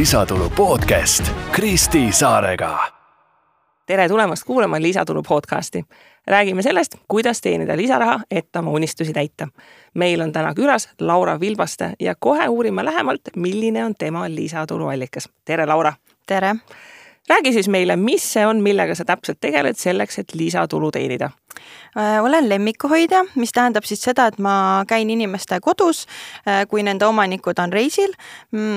Lisatulu podcast Kristi Saarega. Tere tulemast kuulama Lisatulu podcasti. Räägime sellest, kuidas teenida lisaraha, et oma unistusi täita. Meil on täna külas Laura Vilbaste ja kohe uurime lähemalt, milline on tema lisatuluallikas. Tere, Laura! Tere! Räägi siis meile, mis see on, millega sa täpselt tegeled selleks, et lisatulu teenida? Olen lemmikuhoidja, mis tähendab siis seda, et ma käin inimeste kodus, kui nende omanikud on reisil.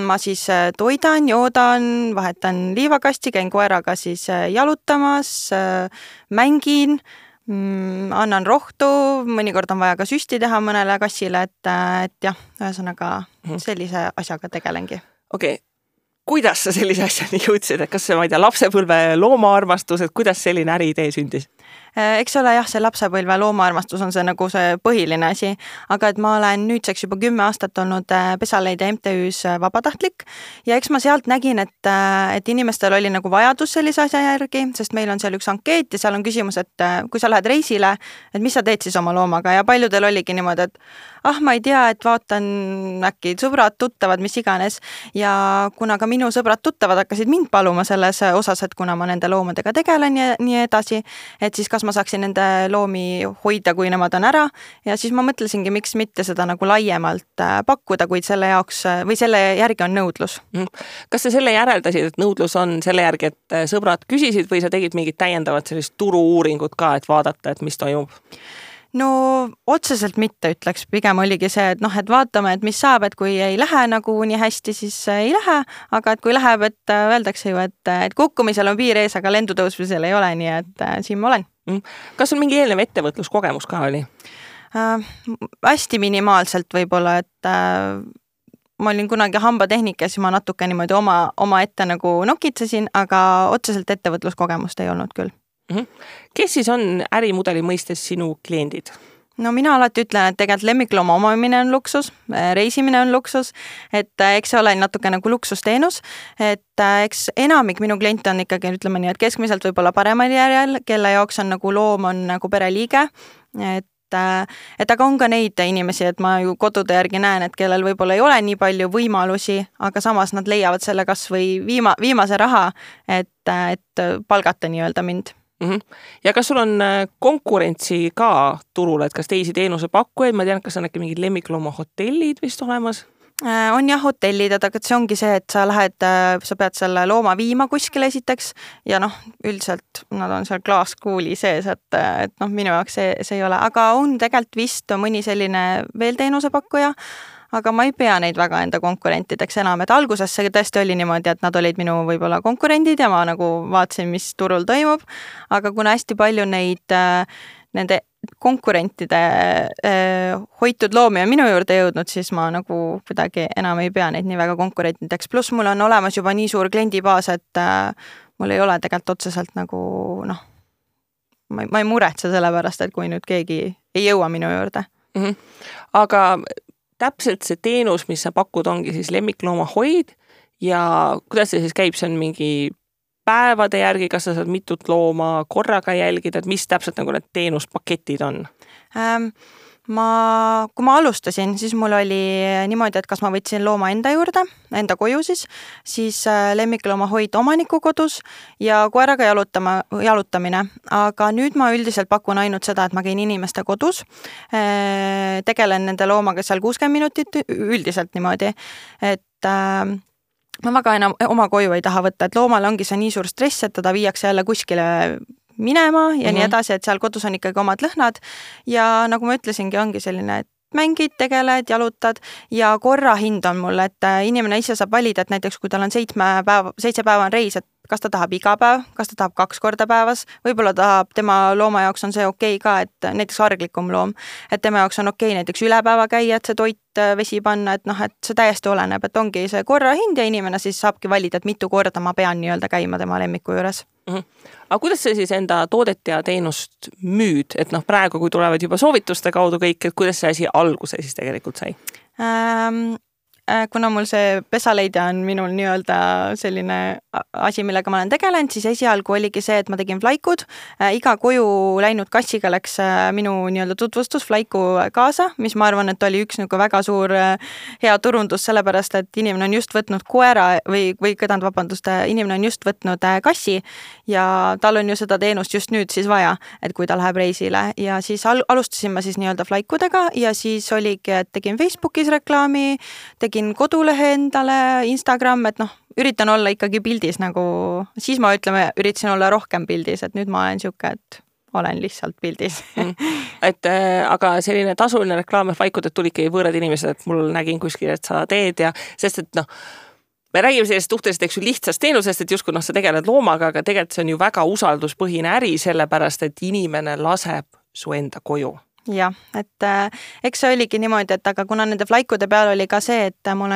Ma siis toidan, joodan, vahetan liivakasti, käin koeraga siis jalutamas, mängin, annan rohtu, mõnikord on vaja ka süsti teha mõnele kassile, et jah, ühesõnaga sellise asjaga tegelengi. Okei. Kuidas sa sellise asjani jõudsid, et kas see, ma ei tea, lapsepõlve loomaarmastus, et kuidas selline äriidee sündis? Eks ole jah, see lapsepõlve loomaarmastus on see nagu see põhiline asi, aga et ma olen nüüdseks juba 10 aastat olnud Pesaleide MTÜs vabatahtlik ja eks ma sealt nägin, et inimestel oli nagu vajadus sellise asja järgi, sest meil on seal üks ankeet ja seal on küsimus, et kui sa lähed reisile, et mis sa teed siis oma loomaga ja paljudel oligi niimoodi, et ma ei tea, et vaatan äkki sõbrad, tuttavad, mis iganes ja kuna ka minu sõbrad tuttavad hakkasid mind paluma selles osas, et kuna ma nende loomadega tegelen ja nii edasi, et siis kas ma saaksin nende loomi hoida, kui nemad on ära ja siis ma mõtlesingi, miks mitte seda nagu laiemalt pakkuda, kuid selle jaoks või selle järgi on nõudlus. Kas sa selle järeldasid, et nõudlus on selle järgi, et sõbrad küsisid või sa tegid mingit täiendavat sellist turu-uuringut ka, et vaadata, et mis toimub? No otseselt mitte ütleks, pigem oligi see, et et vaatame, et mis saab, et kui ei lähe nagu nii hästi, siis ei lähe, aga et kui läheb, et öeldakse ju, et kukkumisel on piir ees, aga lendutõusmisel ei ole, nii et siin ma olen. Kas sul mingi eelnev ettevõtluskogemus ka oli? Hästi minimaalselt võib-olla, et ma olin kunagi hambatehnikas ja ma natuke niimoodi oma ette nagu nokitsesin, aga otseselt ettevõtluskogemust ei olnud küll. Kes siis on ärimudeli mõistes sinu kliendid? No mina alati ütlen, et tegelikult lemmiklooma omamine on luksus, reisimine on luksus, et eks see ole natuke nagu luksusteenus, et eks enamik minu kliente on ikkagi, ütleme nii, et keskmiselt võib-olla paremal järjel, kelle jaoks on nagu loom on nagu pereliige, et aga on ka neid inimesi, et ma ju kodude järgi näen, et kellel võib-olla ei ole nii palju võimalusi, aga samas nad leiavad selle kas või viimase raha, et palgata nii-öelda mind. Ja kas sul on konkurentsi ka turul, et kas teisi teenusepakkujaid, ma tean, kas on äkki mingid lemmiklooma hotellid vist olemas? On jah hotellid, aga see ongi see, et sa pead selle looma viima kuskile esiteks ja üldiselt nad on seal klaaskuuli sees, et minu jaoks see ei ole, aga on tegelikult vist mõni selline veel teenusepakkuja, aga ma ei pea neid väga enda konkurentideks enam, et alguses see tõesti oli niimoodi, et nad olid minu võib-olla konkurendid ja ma nagu vaatasin, mis turul toimub, aga kuna hästi palju nende konkurentide hoitud loomi on minu juurde jõudnud, siis ma nagu kuidagi enam ei pea neid nii väga konkurentideks, pluss mul on olemas juba nii suur kliendibaas, et mul ei ole tegelikult otseselt nagu ma ei muretse selle pärast, et kui nüüd keegi ei jõua minu juurde. Aga täpselt see teenus, mis sa pakud, ongi siis lemmiklooma hoid ja kuidas see siis käib, see on mingi päevade järgi, kas sa saad mitut looma korraga jälgida, et mis täpselt nagu need teenuspaketid on? Kui ma alustasin, siis mul oli niimoodi, et kas ma võtsin looma enda juurde, enda koju siis lemmiklooma hoid omaniku kodus ja koeraga jalutamine. Aga nüüd ma üldiselt pakun ainult seda, et ma käin inimeste kodus, tegelen nende loomaga seal 60 minutit üldiselt niimoodi, et ma väga enam oma koju ei taha võtta, et loomal ongi see nii suur stress, et teda viiakse jälle kuskile minema ja nii edasi, et seal kodus on ikkagi omad lõhnad ja nagu ma ütlesingi, ongi selline, et mängid, tegeled, jalutad ja korra hind on mul, et inimene ise saab valida, et näiteks kui tal on 7 päeva on reis, et kas ta tahab iga päev, kas ta tahab 2 korda päevas, võib-olla tahab tema looma jaoks on see okei ka, et näiteks arglikum loom, et tema jaoks on okei näiteks üle päeva käia, et see toit, vesi panna, et et see täiesti oleneb, et ongi see korra hind ja inimene siis saabki valida, et mitu korda ma pean nii-öelda käima tema lemmiku juures. Aga kuidas sa siis enda toodet ja teenust müüd, et praegu, kui tulevad juba soovituste kaudu kõik, et kuidas see asi alguse siis tegelikult sai? kuna mul see pesaleidja on minul nii-öelda selline asi, millega ma olen tegelenud, siis esialgu oligi see, et ma tegin flaikud. Iga koju läinud kassiga läks minu nii-öelda tutvustus flaiku kaasa, mis ma arvan, et oli üks nagu väga suur hea turundus, sellepärast, et inimene on just võtnud koera inimene on just võtnud kassi ja tal on ju seda teenust just nüüd siis vaja, et kui ta läheb reisile ja siis alustasin ma siis nii-öelda flaikudega ja siis oligi, et tegin Facebookis reklaami, tegin kodulehe endale, Instagram, et üritan olla ikkagi pildis nagu, siis ma üritasin olla rohkem pildis, et nüüd ma olen siuke, et olen lihtsalt pildis. Aga selline tasuline reklaam ja flaikuded tulidki võõrad inimesed, et mul nägin kuskil, et sa teed ja sest, et me räägime sellest suhteliselt lihtsast teenusest, et justkui sa tegeled loomaga, aga tegelikult see on ju väga usalduspõhine äri, sellepärast, et inimene laseb su enda koju. Jah, et eks see oligi niimoodi, et aga kuna nende flaikude peal oli ka see, et ma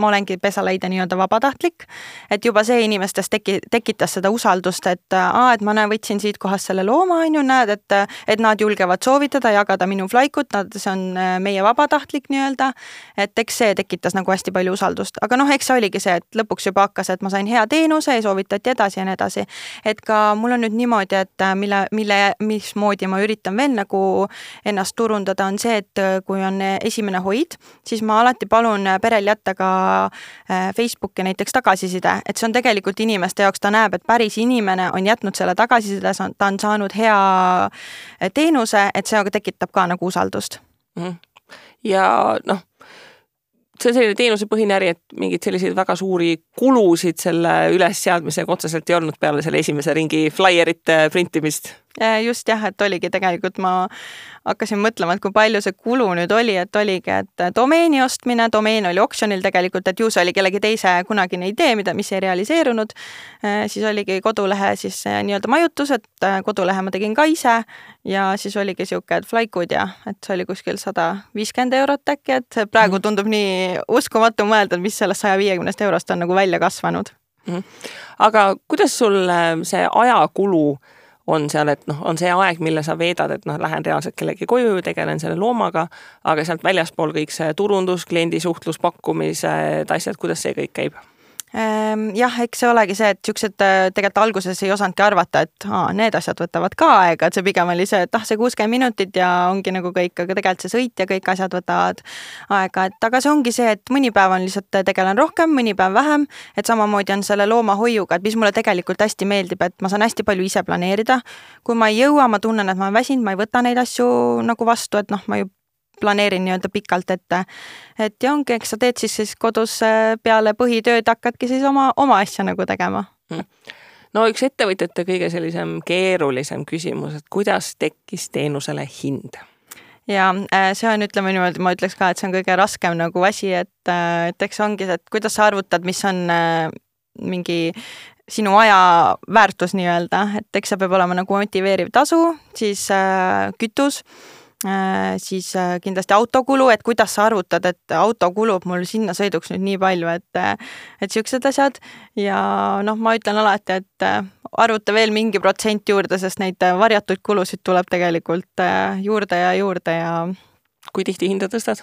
olengi pesaleidja nii-öelda vabatahtlik, et juba see inimestes tekitas seda usaldust, et ma võtsin siit kohast selle looma, näed, et nad julgevad soovitada, jagada minu flaikut, see on meie vabatahtlik nii-öelda, et eks see tekitas nagu hästi palju usaldust, aga eks see oligi see, et lõpuks juba hakkas, et ma sain hea teenuse ja soovitati edasi ja nii edasi, et ka mul on nüüd niimoodi, et mismoodi ma üritan veel nagu ennast turundada on see, et kui on esimene hoid, siis ma alati palun perel jätta ka Facebooki näiteks tagasiside, et see on tegelikult inimeste jaoks, ta näeb, et päris inimene on jätnud selle tagasiside, ta on saanud hea teenuse, et see tekitab ka nagu usaldust. Ja see on selline teenusepõhine äri, et mingid selliseid väga suuri kulusid selle ülesseadmisega otseselt ei olnud peale selle esimese ringi flyerite printimist. Just jah, et oligi tegelikult, ma hakkasin mõtlema, et kui palju see kulu nüüd oli, et oligi, et domeeni ostmine, domeen oli oksjonil tegelikult, et ju see oli kellegi teise kunagine idee, mis ei realiseerunud, siis oligi kodulehe siis nii-öelda majutus, et kodulehe ma tegin ka ise ja siis oligi siuke, et flaikud ja et see oli kuskil 150 eurot äkki, et praegu tundub nii uskumatu mõelda, mis sellest 150 eurost on nagu välja kasvanud. Aga kuidas sul see ajakulu on seal, et on see aeg, mille sa veedad, et lähen reaalselt kellegi koju, tegelen selle loomaga, aga sealt väljaspool kõik see turundus, kliendi suhtlus, pakkumised, asjad, kuidas see kõik käib? Jah, eks see olegi see, et siuksed tegelikult alguses ei osanudki arvata, et need asjad võtavad ka aega, et see pigem oli see, et see 60 minutit ja ongi nagu kõik, aga tegelikult see sõit ja kõik asjad võtavad aega, et aga see ongi see, et mõni päev on lihtsalt tegelen rohkem, mõni päev vähem, et samamoodi on selle loomahoiuga, et mis mulle tegelikult hästi meeldib, et ma saan hästi palju ise planeerida. Kui ma ei jõua, ma tunnen, et ma olen väsinud, ma ei võta neid asju nagu vastu, et ma ju planeerin nii-öelda pikalt ette. Et ja ongi, eks sa teed siis kodus peale põhitööd hakkadki siis oma asja nagu tegema. Üks ettevõtjate kõige sellisem keerulisem küsimus, et kuidas tekkis teenusele hind? Ja see on, ütleme niimoodi, ma ütleks ka, et see on kõige raskem nagu asi, et eks ongi see, et kuidas sa arvutad, mis on mingi sinu aja väärtus nii-öelda, et eks see peab olema nagu motiveeriv tasu, siis kütus, siis kindlasti autokulu, et kuidas sa arvutad, et auto kulub mul sinna sõiduks nüüd nii palju, et siuksed asjad ja ma ütlen alati, et arvuta veel mingi protsent juurde, sest neid varjatuid kulusid tuleb tegelikult juurde ja Kui tihti hinda tõstad?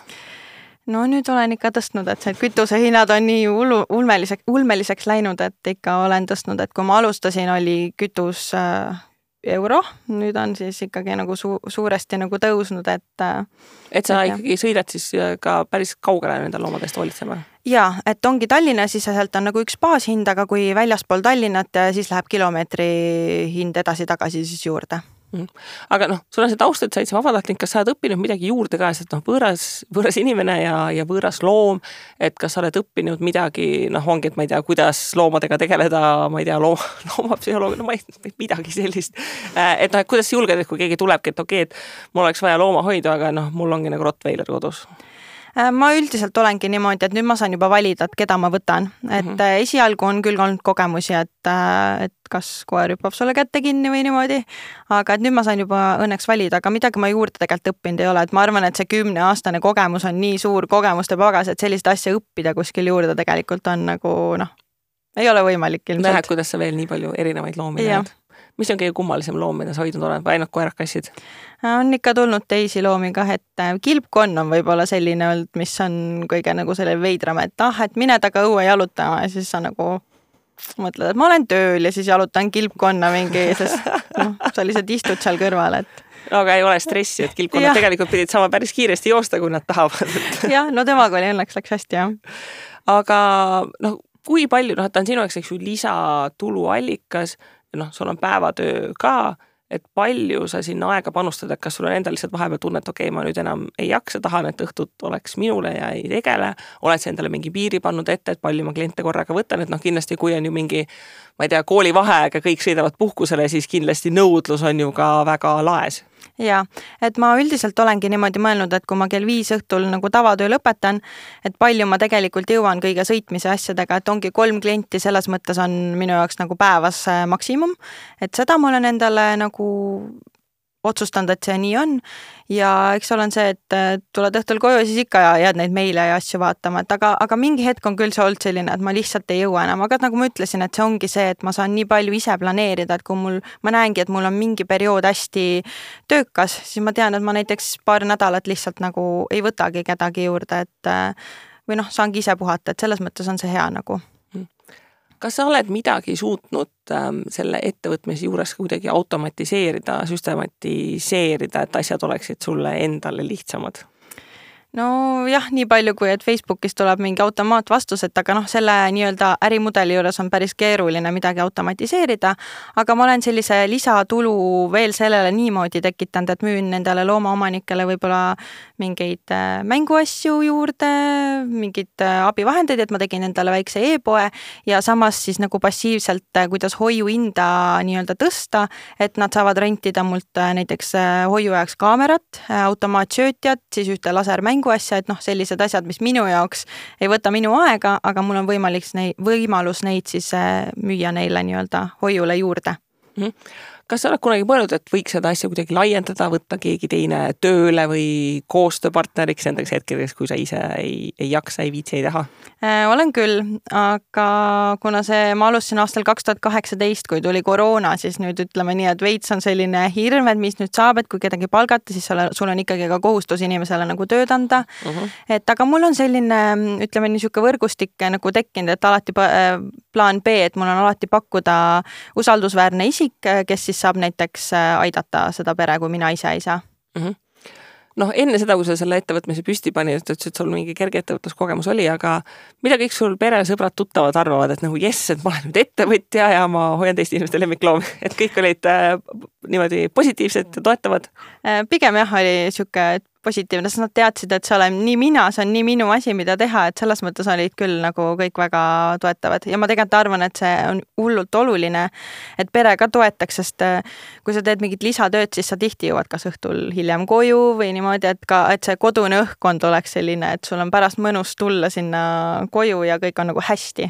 Nüüd olen ikka tõstnud, et see kütusehinnad on nii ulmeliseks läinud, et ikka olen tõstnud, et kui ma alustasin, oli kütus euro, nüüd on siis ikkagi nagu suuresti nagu tõusnud, et sa ikkagi sõidad siis ka päris kaugele nende loomadest hoolitsema? Jaa, et ongi Tallinna siseselt on nagu üks baashind, aga kui väljaspool Tallinnat, siis läheb kilomeetri hind edasi-tagasi siis juurde. Aga sul on see taust, et sa oled vabatahtlik, kas sa oled õppinud midagi juurde ka, sest võõras inimene ja võõras loom, et kas sa oled õppinud midagi, ongi, et ma ei tea, kuidas loomadega tegeleda, ma ei tea, loomapsühholoog, ma ei midagi sellist. Et kuidas sa julged, et kui keegi tulebki, et okei, et mul oleks vaja loomahoidu, aga mul ongi nagu Rottweiler kodus. Ma üldiselt olengi niimoodi, et nüüd ma saan juba valida, et keda ma võtan. Et esialgu on küll olnud kogemusi, et kas koer hüppab sulle kätte kinni või niimoodi, aga et nüüd ma saan juba õnneks valida, aga midagi ma juurde tegelikult õppinud ei ole, et ma arvan, et see 10-aastane kogemus on nii suur kogemuste pagas, et sellist asja õppida kuskil juurde tegelikult on nagu, ei ole võimalik ilmselt. Nähed, kuidas sa veel nii palju erinevaid loomi näed. mis on kõige kummalisem loom, mida sa hoidnud oled või ainult koerakassid? On ikka tulnud teisi loomi kah, et kilpkonn on võib-olla selline olnud, mis on kõige nagu selle veidram, et et mine taga õue jalutama ja siis sa nagu mõtled, et ma olen tööl ja siis jalutan kilpkonna mingi, sest sa lihtsalt istud seal kõrval, et no aga ei ole stressi, et kilpkonnad tegelikult pidid saama päris kiiresti joosta, kui nad tahavad. jah, no temaga oli õnneks läks hästi, jah. Aga kui palju, ta on sinu jaoks, eks ju, lisatuluallikas, sul on päevatöö ka, et palju sa sinna aega panustad, et kas sul on endal lihtsalt vahepeal tunne, et okei, ma nüüd enam ei jaksa, tahan, et õhtut oleks minule ja ei tegele, oled sa endale mingi piiri pannud ette, et palju ma kliente korraga võtan, et kindlasti kui on ju mingi, ma ei tea, koolivaheaeg ja kõik sõidavad puhkusele, siis kindlasti nõudlus on ju ka väga laes. Ja, et ma üldiselt olengi niimoodi mõelnud, et kui ma kell 5 õhtul nagu tavatöö lõpetan, et palju ma tegelikult jõuan kõige sõitmise asjadega, et ongi 3 klienti, selles mõttes on minu jaoks nagu päevas maksimum, et seda ma olen endale nagu otsustanud, et see nii on ja eks olen see, et tuled õhtul koju ja siis ikka jääd neid meile ja asju vaatama, et aga mingi hetk on küll see olnud selline, et ma lihtsalt ei jõua enam, aga nagu ma ütlesin, et see ongi see, et ma saan nii palju ise planeerida, et kui ma näengi, et mul on mingi periood hästi töökas, siis ma tean, et ma näiteks paar nädalat lihtsalt nagu ei võtagi kedagi juurde, et või saangi ise puhata, et selles mõttes on see hea nagu. Kas sa oled midagi suutnud selle ettevõtmise juures kuidagi automatiseerida, süstematiseerida, et asjad oleksid sulle endale lihtsamad? No jah, nii palju kui, et Facebookis tuleb mingi automaatvastus, et aga selle nii-öelda ärimudeli juures on päris keeruline midagi automatiseerida, aga ma olen sellise lisatulu veel sellele niimoodi tekitanud, et müün nendele loomaomanikele võib-olla mingeid mänguasju juurde, mingid abivahendeid, et ma tegin endale väikse e-poe ja samas siis nagu passiivselt, kuidas hoiuhinda nii-öelda tõsta, et nad saavad rentida mult näiteks hoiu jaoks kaamerat, automaatsöötjat, siis ühte lasermängu asja, et sellised asjad, mis minu jaoks ei võta minu aega, aga mul on võimalus neid siis müüa neile nii-öelda hoiule juurde. Kas sa oled kunagi mõelnud, et võiks seda asja kuidagi laiendada, võtta keegi teine tööle või koostööpartneriks nendeks hetkeks, kui sa ise ei jaksa, ei viitsi, ei taha? Olen küll, aga kuna ma alustasin aastal 2018, kui tuli koroona, siis nüüd ütleme nii, et veits on selline hirm, et mis nüüd saab, et kui kedagi palgata, siis sul on ikkagi ka kohustus inimesele nagu tööd anda. Et aga mul on selline, ütleme niisugune võrgustik nagu tekkinud, et alati plaan B, et mul on alati pakkuda usaldusväärne isik, kes siis saab näiteks aidata seda pere, kui mina ise ei saa. Enne seda, kui sa selle ettevõtmise püsti pani, et sul mingi kerge ettevõtluskogemus oli, aga mida kõik sul pere, sõbrad, tuttavad arvavad, et jess, et ma olen nüüd ettevõtja ja ma hoian teiste inimeste lemmikloomi, et kõik olid niimoodi positiivsed ja toetavad? Pigem jah, oli niisugune positiivne, sest nad teadsid, et see olen nii mina, see on nii minu asi, mida teha, et selles mõttes olid küll nagu kõik väga toetavad ja ma tegelikult arvan, et see on hullult oluline, et pere ka toetaks, sest kui sa teed mingit lisatööd, siis sa tihti jõuad kas õhtul hiljem koju või niimoodi, et see kodune õhkkond oleks selline, et sul on pärast mõnus tulla sinna koju ja kõik on nagu hästi.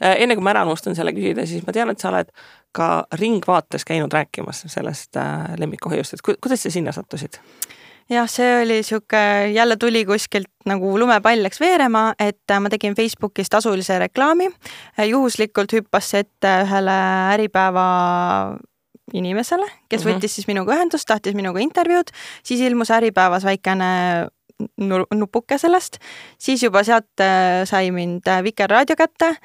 Enne kui ma ära unustan selle küsida, siis ma tean, et sa oled ka Ringvaates käinud rääkimas sellest lemmikuhoiust, et kuidas sa sinna sattusid? Jah, see oli jälle tuli kuskilt nagu lumepall läks veerema, et ma tegin Facebookis tasulise reklaami. Juhuslikult hüppas ette ühele Äripäeva inimesele, kes võttis siis minuga ühendust, tahtis minuga intervjuud, siis ilmus Äripäevas väikene nupuke sellest, siis juba sealt sai mind Vikerraadio kätte,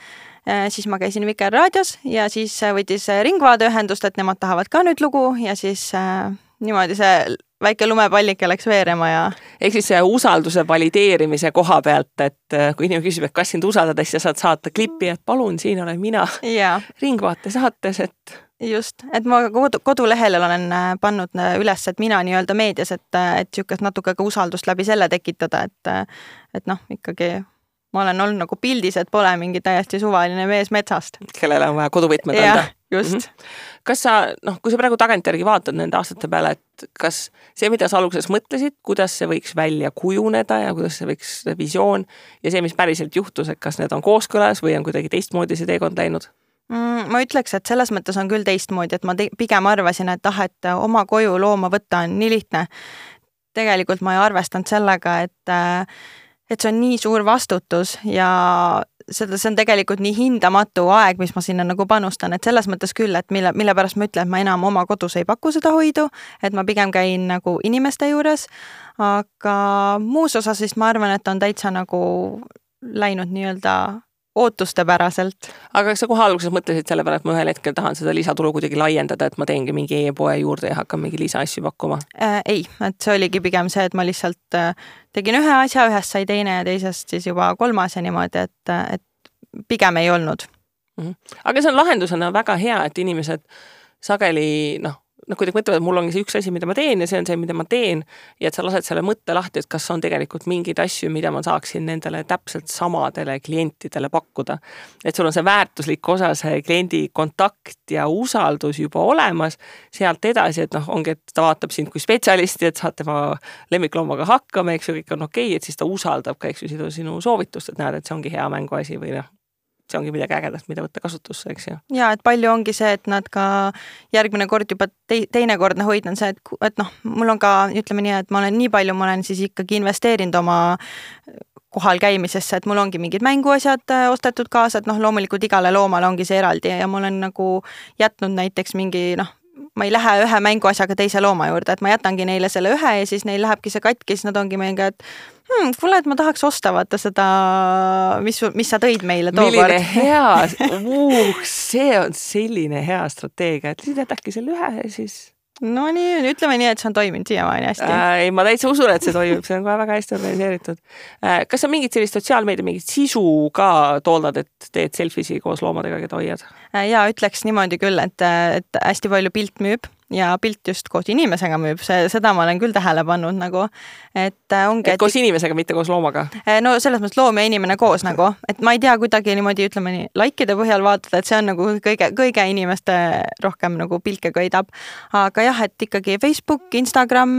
siis ma käisin Vikerraadios ja siis võttis Ringvaade ühendust, et nemad tahavad ka nüüd lugu ja siis niimoodi see väike lumepallike läks veerema ja... Ehk siis see usalduse valideerimise koha pealt, et kui inimene küsib, et kas sind usaldada, siis sa saad saata klippi, et palun, siin olen mina Ringvaate saates, et... Just, et ma kodulehel olen pannud üles, et mina nii-öelda meedias, et niisugust natuke ka usaldust läbi selle tekitada, et ikkagi ma olen olnud nagu pildis, et pole mingi täiesti suvaline mees metsast. Kellele on vaja koduvõtmed anda. Just. Kas sa, kui sa praegu tagantjärgi vaatad nende aastate peale, et kas see, mida sa alguses mõtlesid, kuidas see võiks välja kujuneda ja kuidas see võiks visioon ja see, mis päriselt juhtus, et kas need on kooskõlas või on kuidagi teistmoodi see teekond läinud? Ma ütleks, et selles mõttes on küll teistmoodi, et ma pigem arvasin, et oma koju looma võtta on nii lihtne. Tegelikult ma ei arvestanud sellega, et see on nii suur vastutus ja see on tegelikult nii hindamatu aeg, mis ma sinna nagu panustan, et selles mõttes küll, et mille pärast ma ütlen, et ma enam oma kodus ei paku seda hoidu, et ma pigem käin nagu inimeste juures, aga muus osas siis ma arvan, et on täitsa nagu läinud nii-öelda ootustepäraselt. Aga kas sa kohe alguses mõtlesid selle peale, et ma ühel hetkel tahan seda lisatulu kuidagi laiendada, et ma teengi mingi e-poe juurde ja hakkan mingi lisaasju pakkuma? Ei, et see oligi pigem see, et ma lihtsalt tegin ühe asja, ühest sai teine ja teisest siis juba kolmas ja niimoodi, et pigem ei olnud. Aga see on lahendusena väga hea, et inimesed sageli, kuidagi mõtlevad, et mul ongi see üks asi, mida ma teen ja see on see, mida ma teen ja et sa lased selle mõtte lahti, et kas on tegelikult mingeid asju, mida ma saaksin nendele täpselt samadele klientidele pakkuda. Et sul on see väärtuslik osa, see kliendi kontakt ja usaldus juba olemas, sealt edasi, et ongi, et ta vaatab sind kui spetsialisti, et saad tema lemmikloomaga hakkama, eks ju, kõik on okei, et siis ta usaldab ka, eks ju, sinu soovitust, et näed, et see ongi hea mänguasi või see ongi midagi ägedast, mida võtta kasutusse, eks ju. Ja, et palju ongi see, et nad ka järgmine kord juba teinekordne hoid on see, et mul on ka, ütleme nii, et ma olen siis ikkagi investeerinud oma kohal käimisesse, et mul ongi mingid mänguasjad ostetud kaasa, et loomulikult igale loomale ongi see eraldi ja ma olen nagu jätnud näiteks mingi, ma ei lähe ühe mänguasjaga teise looma juurde, et ma jätangi neile selle ühe ja siis neil lähebki see katki, siis nad ongi meiega, et kuule, et ma tahaks osta vaata seda, mis sa tõid meile tookord. Milline hea, see on selline hea strateegia, et jätadki selle ühe ja siis... No nii, ütleme nii, et see on toiminud siiamaani hästi. Ei, ma täitsa usun, et see toimib, see on kohe väga hästi organiseeritud. Kas sa mingit sellist sotsiaalmeedia, mingit sisu ka tooldad, et teed selfisi koos loomadega, keda hoiad? Ja ütleks niimoodi küll, et hästi palju pilt müüb ja pilt just koos inimesega müüb, seda ma olen küll tähele pannud nagu, et ongi... Et koos inimesega, mitte koos loomaga? No selles mõttes loom ja inimene koos nagu, et ma ei tea kuidagi niimoodi, ütleme nii, likeide põhjal vaatada, et see on nagu kõige inimeste rohkem nagu pilke köidab. Aga jah, et ikkagi Facebook, Instagram,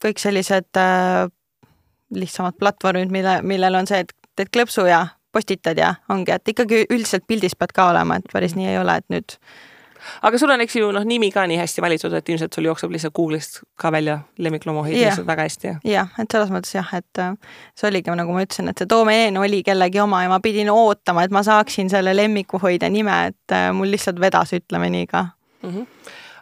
kõik sellised lihtsamad platvormid, millel on see, et klõpsu ja postitad ja ongi, et ikkagi üldiselt pildis pead ka olema, et päris nii ei ole, et nüüd... Aga sul on, eks ju, nimi ka nii hästi valitud, et ilmselt sul jookseb lihtsalt Google'ist ka välja lemmikloomahoid lihtsalt väga hästi. Jah, et selles mõttes jah, et see oligi, nagu ma ütlesin, et see doomeen oli kellegi oma ja ma pidin ootama, et ma saaksin selle lemmikuhoide nime, et mul lihtsalt vedas, ütleme nii ka.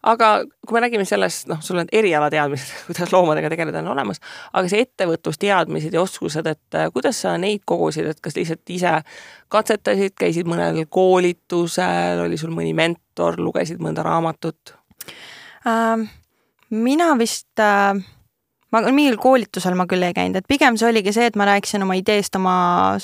Aga kui me räägime sellest, sul on erialateadmised, kuidas loomadega tegeleda on olemas, aga see ettevõtlusteadmised ja oskused, et kuidas sa neid kogusid, et kas lihtsalt ise katsetasid, käisid mõnel koolitusel, oli sul mõni mentor, lugesid mõnda raamatut? Mina vist... mingil koolitusel ma küll ei käinud, et pigem see oligi see, et ma rääkisin oma ideest oma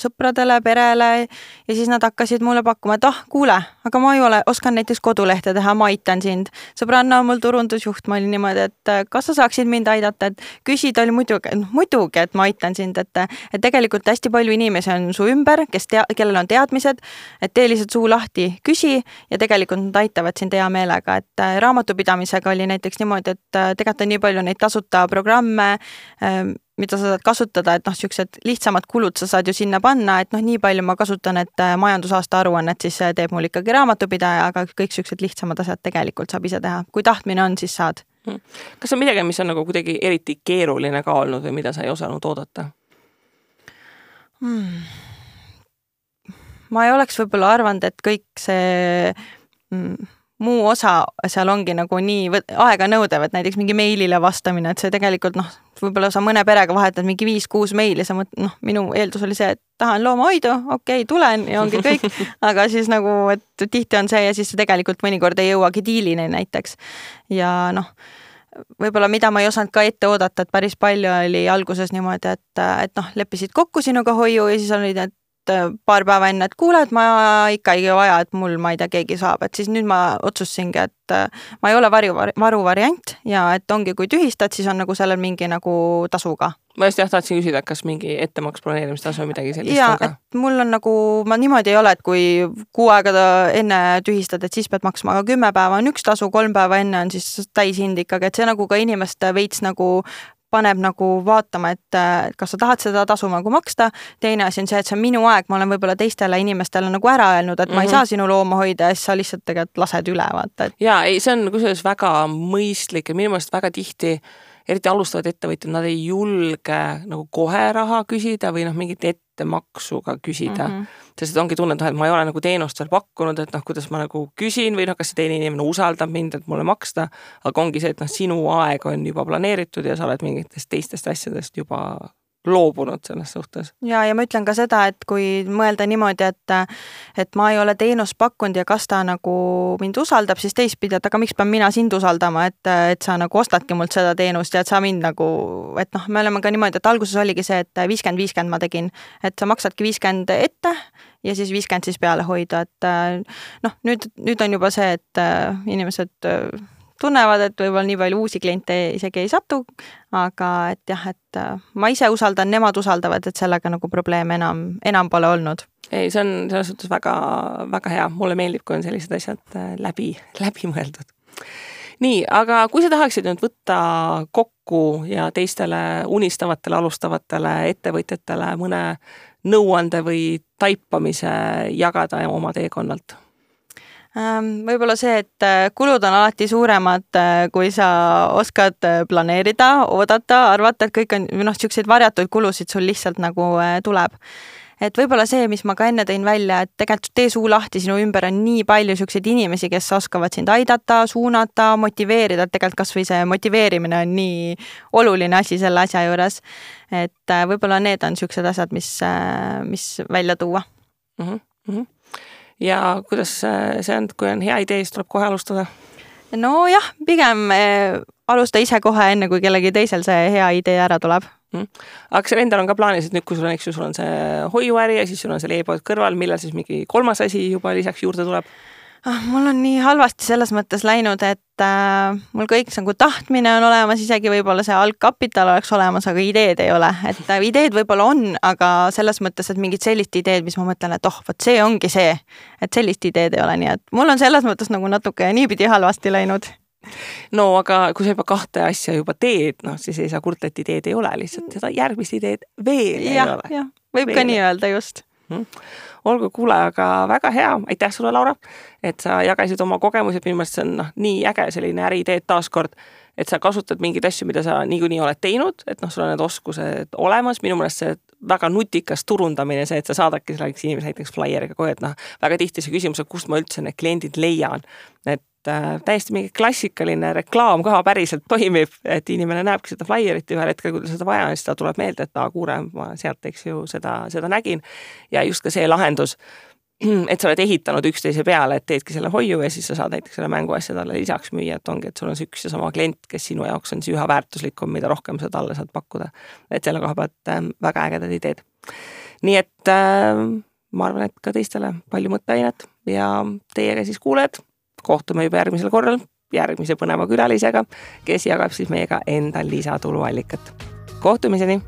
sõpradele, perele ja siis nad hakkasid mulle pakkuma, et kuule, aga ma oskan näiteks kodulehte teha, ma aitan sind. Sõbranna on mul turundusjuht, ma olin niimoodi, et kas sa saaksid mind aidata, et küsida oli muidugi, et ma aitan sind, et tegelikult hästi palju inimesi on su ümber, kellel on teadmised, et tee lihtsalt suu lahti, küsi ja tegelikult nad aitavad sind hea meelega, et raamatupidamisega oli näiteks niimoodi, et tegelikult on nii palju neid tasuta programme, mida sa saad kasutada, et siuksed lihtsamad kulud sa saad ju sinna panna, et nii palju ma kasutan, et majandusaasta aruannet siis teeb mul ikkagi raamatupidaja, aga kõik siuksed lihtsamad asjad tegelikult saab ise teha. Kui tahtmine on, siis saad. Kas on midagi, mis on nagu kuidagi eriti keeruline ka olnud või mida sa ei osanud oodata? Ma ei oleks võib-olla arvanud, et kõik see... muu osa seal ongi nagu nii aega nõudev, et näiteks mingi meilile vastamine, et see tegelikult võib-olla sa mõne perega vahetad mingi 5-6 meili, sa minu eeldus oli see, et tahan loomahoidu, okei, tulen ja ongi kõik, aga siis nagu, et tihti on see ja siis tegelikult mõnikord ei jõuagi diilini näiteks. Ja võib-olla mida ma ei osanud ka ette oodata, et päris palju oli alguses niimoodi, et leppisid kokku sinuga hoiu ja siis olid, et paar päeva enne, et kuule, et ma ikka ei vaja, et mul, ma ei tea, keegi saab, et siis nüüd ma otsusingi, et ma ei ole varuvariant ja et ongi, kui tühistad, siis on nagu sellel mingi nagu tasuga. Ma just tahtsin küsida, kas mingi ettemaks planeerimistasu või midagi sellist ja, ka? Et mul on nagu, ma niimoodi ei ole, et kui 6 aega enne tühistad, et siis pead maksma, aga 10 päeva on üks tasu, 3 päeva enne on siis täishind ikkagi, et see nagu ka inimeste veits nagu paneb nagu vaatama, et kas sa tahad seda tasu nagu maksta. Teine asi on see, et see on minu aeg, ma olen võib-olla teistele inimestele nagu ära öelnud, et ma ei saa sinu looma hoida ja siis sa lihtsalt tegelikult lased üle, vaata. Ja, ei, see on kusjuures väga mõistlik ja minu meelest väga tihti eriti alustavad ettevõtjad, nad ei julge nagu kohe raha küsida või mingit ettemaksu ka küsida. Sest ongi tunne, et ma ei ole nagu teenust veel pakkunud, et kuidas ma nagu küsin või kas see teine inimene usaldab mind, et mulle maksta, aga ongi see, et sinu aeg on juba planeeritud ja sa oled mingitest teistest asjadest juba loobunud selles suhtes. Ja ma ütlen ka seda, et kui mõelda niimoodi, et ma ei ole teenust pakkunud ja kas ta nagu mind usaldab, siis teistpidi, et aga miks pean mina sind usaldama, et sa nagu ostadki mult seda teenust ja et sa mind nagu, et me oleme ka niimoodi, et alguses oligi see, et 50-50 ma tegin, et sa maksadki 50 ette ja siis 50 siis peale hoida, et nüüd on juba see, et inimesed tunnevad, et võib-olla nii palju uusi kliente isegi ei satu, aga et jah, et ma ise usaldan, nemad usaldavad, et sellega nagu probleeme enam pole olnud. Ei, see on selles suhtes väga, väga hea. Mulle meeldib, kui on sellised asjad läbi mõeldud. Nii, aga kui sa tahaksid nüüd võtta kokku ja teistele unistavatele, alustavatele ettevõtjatele mõne nõuande või taipamise jagada oma teekonnalt? Võib-olla see, et kulud on alati suuremad, kui sa oskad planeerida, oodata, arvata, et kõik on, selliseid varjatuid kulusid sul lihtsalt nagu tuleb. Et võib-olla see, mis ma ka enne tõin välja, et tegelikult tee suu lahti, sinu ümber on nii palju selliseid inimesi, kes oskavad sind aidata, suunata, motiveerida, et tegelikult kas või see motiveerimine on nii oluline asi selle asja juures. Et võib-olla need on sellised asjad, mis välja tuua. Ja kuidas see on, kui on hea idee, siis tuleb kohe alustada? No jah, pigem alusta ise kohe enne, kui kellegi teisel see hea idee ära tuleb. Aga seal endal on ka plaanis, et nüüd kui sul on see hoiuäri ja siis sul on see e-pood kõrval, millal siis mingi kolmas asi juba lisaks juurde tuleb? Mul on nii halvasti selles mõttes läinud, et mul kõik nagu tahtmine on olemas, isegi võib-olla see algkapital oleks olemas, aga ideed ei ole. Et ideed võib-olla on, aga selles mõttes, et mingid sellist ideed, mis ma mõtlen, et vot see ongi see, et sellist ideed ei ole. Nii et mul on selles mõttes nagu natuke niipidi halvasti läinud. No aga kui sa juba kahte asja juba teed, siis ei saa kurta, et ideed ei ole, lihtsalt seda järgmist ideed veel ei ole. Jah, võib ka nii öelda just. Olgu, kuule, aga väga hea. Aitäh sulle, Laura, et sa jagasid oma kogemused. Minu meelest see on nii äge selline äriideed taaskord, et sa kasutad mingeid asju, mida sa niikuinii oled teinud, et sul on need oskused olemas. Minu meelest see väga nutikas turundamine, see, et sa saadadki selleks inimese näiteks flyeriga kohe, et väga tihti see küsimus, et kust ma üldse need kliendid leian. Et täiesti mingi klassikaline reklaam ka päriselt toimib, et inimene näebki seda flyerit ühel hetkel, kui ta seda vaja on, siis ta tuleb meelde, et kuule, ma sealt seda nägin. Ja just ka see lahendus, et sa oled ehitanud üksteise peale, et teedki selle hoiu ja siis sa saad näiteks selle mänguasja talle lisaks müüa, et ongi, et sul on see üks ja sama klient, kes sinu jaoks on üha väärtuslikum, mida rohkem sa talle saad pakkuda. Et selle koha pealt väga ägedad ideed. Nii et ma arvan, et ka teistele palju mõtteainet ja teiega siis kuuled. Kohtume juba järgmisel korral järgmise põneva külalisega, kes jagab siis meiega enda lisatuluallikat. Kohtumiseni!